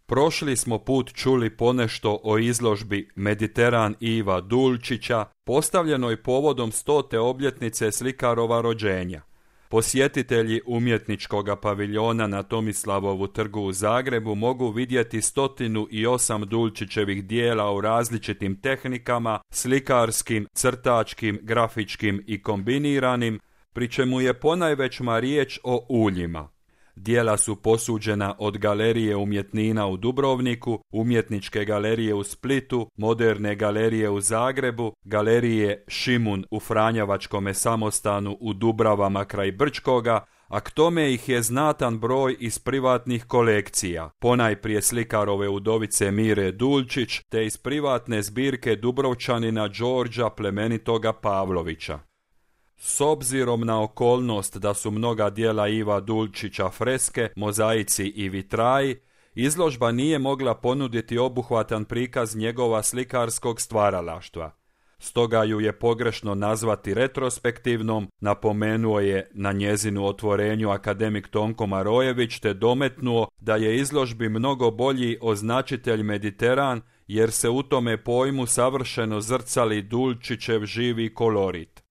Prošli smo put čuli ponešto o izložbi Mediteran Iva Dulčića, postavljenoj povodom 100. obljetnice slikarova rođenja. Posjetitelji umjetničkog paviljona na Tomislavovu trgu u Zagrebu mogu vidjeti 108 Dulčićevih dijela u različitim tehnikama, slikarskim, crtačkim, grafičkim i kombiniranim, pri čemu je ponajvećma riječ o uljima. Dijela su posuđena od Galerije umjetnina u Dubrovniku, Umjetničke galerije u Splitu, Moderne galerije u Zagrebu, Galerije Šimun u Franjevačkome samostanu u Dubravama kraj Brčkoga, a k tome ih je znatan broj iz privatnih kolekcija, ponajprije slikarove udovice Mire Dulčić, te iz privatne zbirke Dubrovčanina Đorđa plemenitoga Pavlovića. S obzirom na okolnost da su mnoga djela Iva Dulčića freske, mozaici i vitraji, izložba nije mogla ponuditi obuhvatan prikaz njegova slikarskog stvaralaštva. Stoga ju je pogrešno nazvati retrospektivnom, napomenuo je na njezinu otvorenju akademik Tonko Marojević, te dometnuo da je izložbi mnogo bolji označitelj Mediteran, jer se u tome pojmu savršeno zrcali Dulčićev živi kolorit.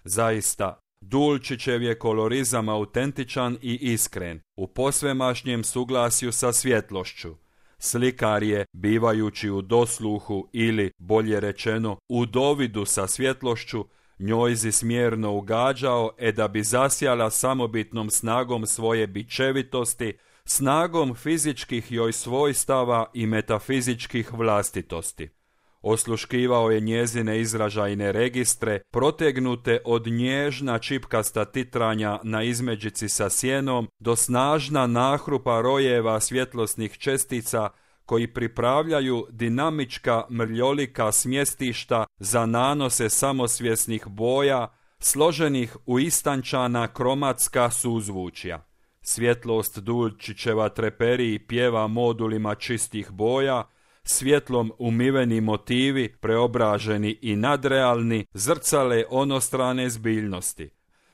Zaista, Dulčićev je kolorizam autentičan i iskren, u posvemašnjem suglasju sa svjetlošću. Slikar je, bivajući u dosluhu ili, bolje rečeno, u dovidu sa svjetlošću, njojzi smjerno ugađao, da bi zasjala samobitnom snagom svoje bičevitosti, snagom fizičkih joj svojstava i metafizičkih vlastitosti. Osluškivao je njezine izražajne registre, protegnute od nježna čipkasta titranja na izmeđici sa sjenom do snažna nahrupa rojeva svjetlosnih čestica koji pripravljaju dinamička mrljolika smjestišta za nanose samosvjesnih boja, složenih u istančana kromatska suzvučja. Svjetlost Dulčićeva treperi pjeva modulima čistih boja, svjetlom umiveni motivi, preobraženi i nadrealni, zrcale onostrane zbiljnosti.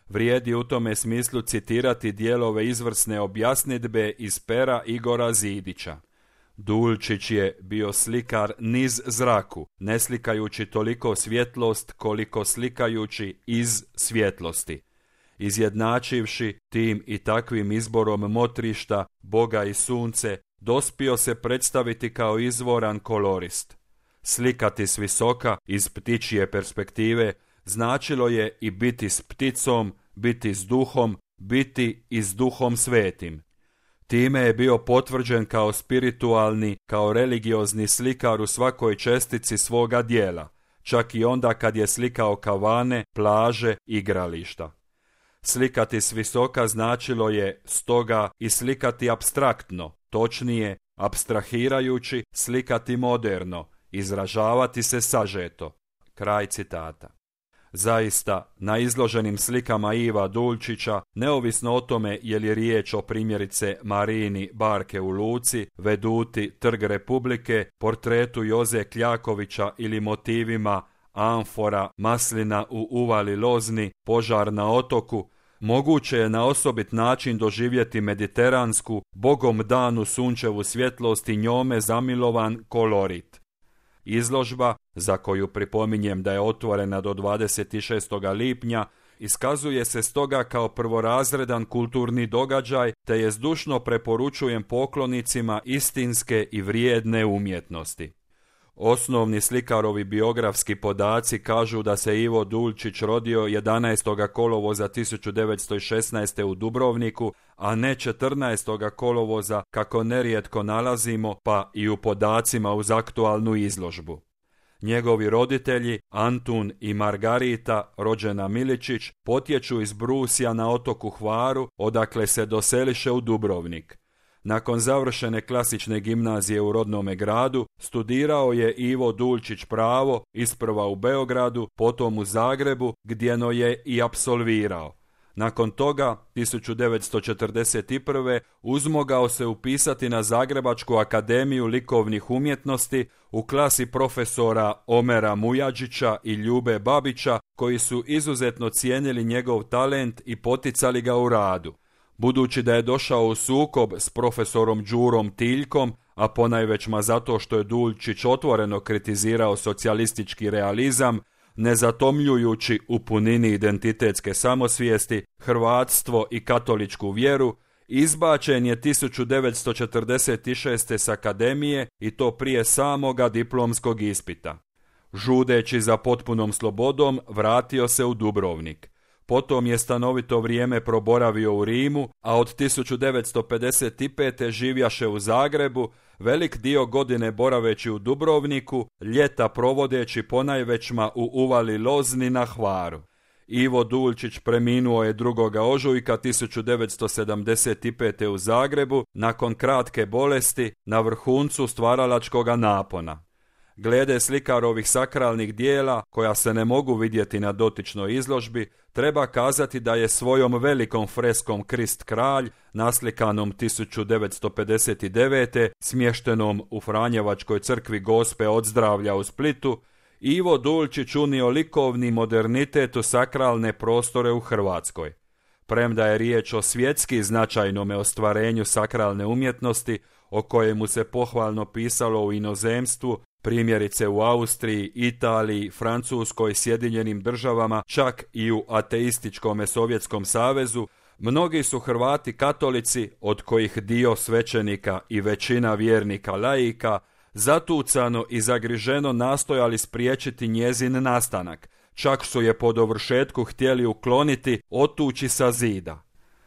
Vrijedi u tome smislu citirati dijelove izvrsne objasnidbe iz pera Igora Zidića. Dulčić je bio slikar niz zraku, ne slikajući toliko svjetlost koliko slikajući iz svjetlosti. Izjednačivši tim i takvim izborom motrišta, Boga i sunce, dospio se predstaviti kao izvoran kolorist. Slikati s visoka, iz ptičje perspektive, značilo je i biti s pticom, biti s duhom, biti i s duhom svetim. Time je bio potvrđen kao spiritualni, kao religiozni slikar u svakoj čestici svoga dijela, čak i onda kad je slikao kavane, plaže, igrališta. Slikati s visoka značilo je stoga i slikati apstraktno, točnije, apstrahirajući, slikati moderno, izražavati se sažeto. Kraj citata. Zaista, na izloženim slikama Iva Dulčića, neovisno o tome je li riječ o primjerice Marini barke u luci, veduti Trg Republike, portretu Joze Kljakovića ili motivima amfora, maslina u uvali Lozni, požar na otoku, moguće je na osobit način doživjeti mediteransku, Bogom danu sunčevu svjetlost i njome zamilovan kolorit. Izložba, za koju pripominjem da je otvorena do 26. lipnja, iskazuje se stoga kao prvorazredan kulturni događaj, te je zdušno preporučujem poklonicima istinske i vrijedne umjetnosti. Osnovni slikarovi biografski podaci kažu da se Ivo Dulčić rodio 11. kolovoza 1916. u Dubrovniku, a ne 14. kolovoza kako nerijetko nalazimo pa i u podacima uz aktualnu izložbu. Njegovi roditelji, Antun i Margarita, rođena Miličić, potječu iz Brusja na otoku Hvaru, odakle se doseliše u Dubrovnik. Nakon završene klasične gimnazije u rodnome gradu, studirao je Ivo Dulčić pravo, isprva u Beogradu, potom u Zagrebu, gdjeno je i apsolvirao. Nakon toga, 1941. uzmogao se upisati na Zagrebačku akademiju likovnih umjetnosti u klasi profesora Omera Mujađića i Ljube Babića, koji su izuzetno cijenili njegov talent i poticali ga u radu. Budući da je došao u sukob s profesorom Đurom Tiljkom, a ponajvećma zato što je Duljčić otvoreno kritizirao socijalistički realizam, ne zatomljujući u punini identitetske samosvijesti, hrvatstvo i katoličku vjeru, izbačen je 1946. s akademije i to prije samoga diplomskog ispita. Žudeći za potpunom slobodom, vratio se u Dubrovnik. Potom je stanovito vrijeme proboravio u Rimu, a od 1955. živjaše u Zagrebu, velik dio godine boraveći u Dubrovniku, ljeta provodeći ponajvećma u uvali Lozni na Hvaru. Ivo Duljčić preminuo je 2. ožujka 1975. u Zagrebu nakon kratke bolesti na vrhuncu stvaralačkoga napona. Glede slikarovih sakralnih dijela, koja se ne mogu vidjeti na dotičnoj izložbi, treba kazati da je svojom velikom freskom Krist kralj, naslikanom 1959. smještenom u Franjevačkoj crkvi Gospe od zdravlja u Splitu, Ivo Duljčić unio likovni modernitet u sakralne prostore u Hrvatskoj. Premda je riječ o svjetski značajnome ostvarenju sakralne umjetnosti, o kojemu se pohvalno pisalo u inozemstvu, primjerice u Austriji, Italiji, Francuskoj, Sjedinjenim državama, čak i u ateističkom Sovjetskom savezu, mnogi su Hrvati katolici, od kojih dio svećenika i većina vjernika laika, zatucano i zagriženo nastojali spriječiti njezin nastanak, čak su je po dovršetku htjeli ukloniti, otući sa zida.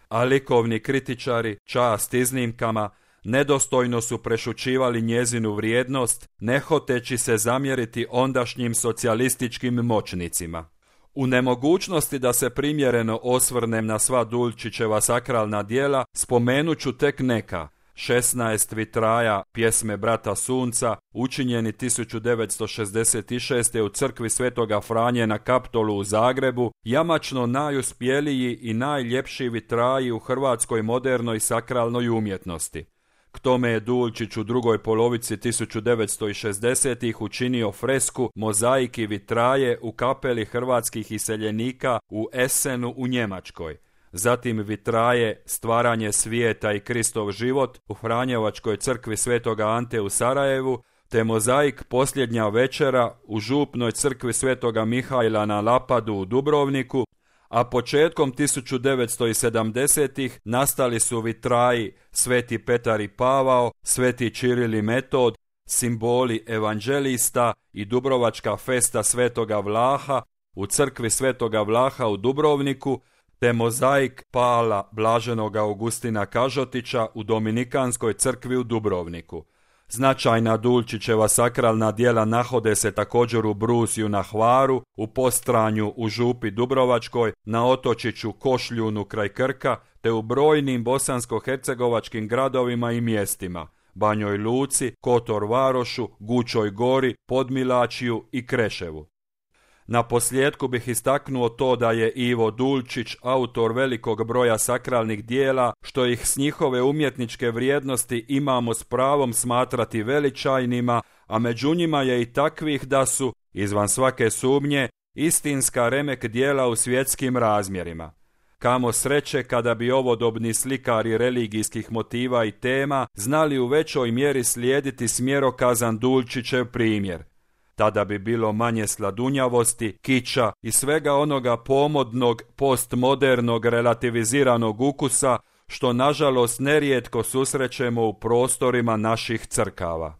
A likovni kritičari, čast iznimkama, nedostojno su prešućivali njezinu vrijednost, ne hoteći se zamjeriti ondašnjim socijalističkim moćnicima. U nemogućnosti da se primjereno osvrnem na sva Duljčićeva sakralna djela, spomenut ću tek neka. 16 vitraja pjesme Brata Sunca, učinjeni 1966. u crkvi Svetoga Franje na Kaptolu u Zagrebu, jamačno najuspjeliji i najljepši vitraji u hrvatskoj modernoj sakralnoj umjetnosti. K tome je Duljčić u drugoj polovici 1960-ih učinio fresku Mozaik i vitraje u kapeli hrvatskih iseljenika u Essenu u Njemačkoj. Zatim vitraje Stvaranje svijeta i Kristov život u Franjevačkoj crkvi Svetoga Ante u Sarajevu, te mozaik Posljednja večera u župnoj crkvi Svetoga Mihajla na Lapadu u Dubrovniku, a početkom 1970-ih nastali su vitraji Sveti Petar i Pavao, Sveti Čiril i Metod, simboli evanđelista i Dubrovačka festa Svetoga Vlaha u crkvi Svetoga Vlaha u Dubrovniku, te mozaik Pala Blaženog Augustina Kažotića u Dominikanskoj crkvi u Dubrovniku. Značajna Duljčićeva sakralna djela nahode se također u Brusiju na Hvaru, u Postranju u Župi Dubrovačkoj, na otočiću Košljunu kraj Krka, te u brojnim bosansko-hercegovačkim gradovima i mjestima, Banjoj Luci, Kotor Varošu, Gučoj Gori, Podmilačiju i Kreševu. Na posljedku bih istaknuo to da je Ivo Duljčić autor velikog broja sakralnih dijela, što ih s njihove umjetničke vrijednosti imamo s pravom smatrati veličajnima, a među njima je i takvih da su, izvan svake sumnje, istinska remek dijela u svjetskim razmjerima. Kamo sreće kada bi ovodobni slikari religijskih motiva i tema znali u većoj mjeri slijediti smjerokazan Duljčićev primjer. Tada bi bilo manje sladunjavosti, kiča i svega onoga pomodnog, postmodernog, relativiziranog ukusa, što nažalost nerijetko susrećemo u prostorima naših crkava.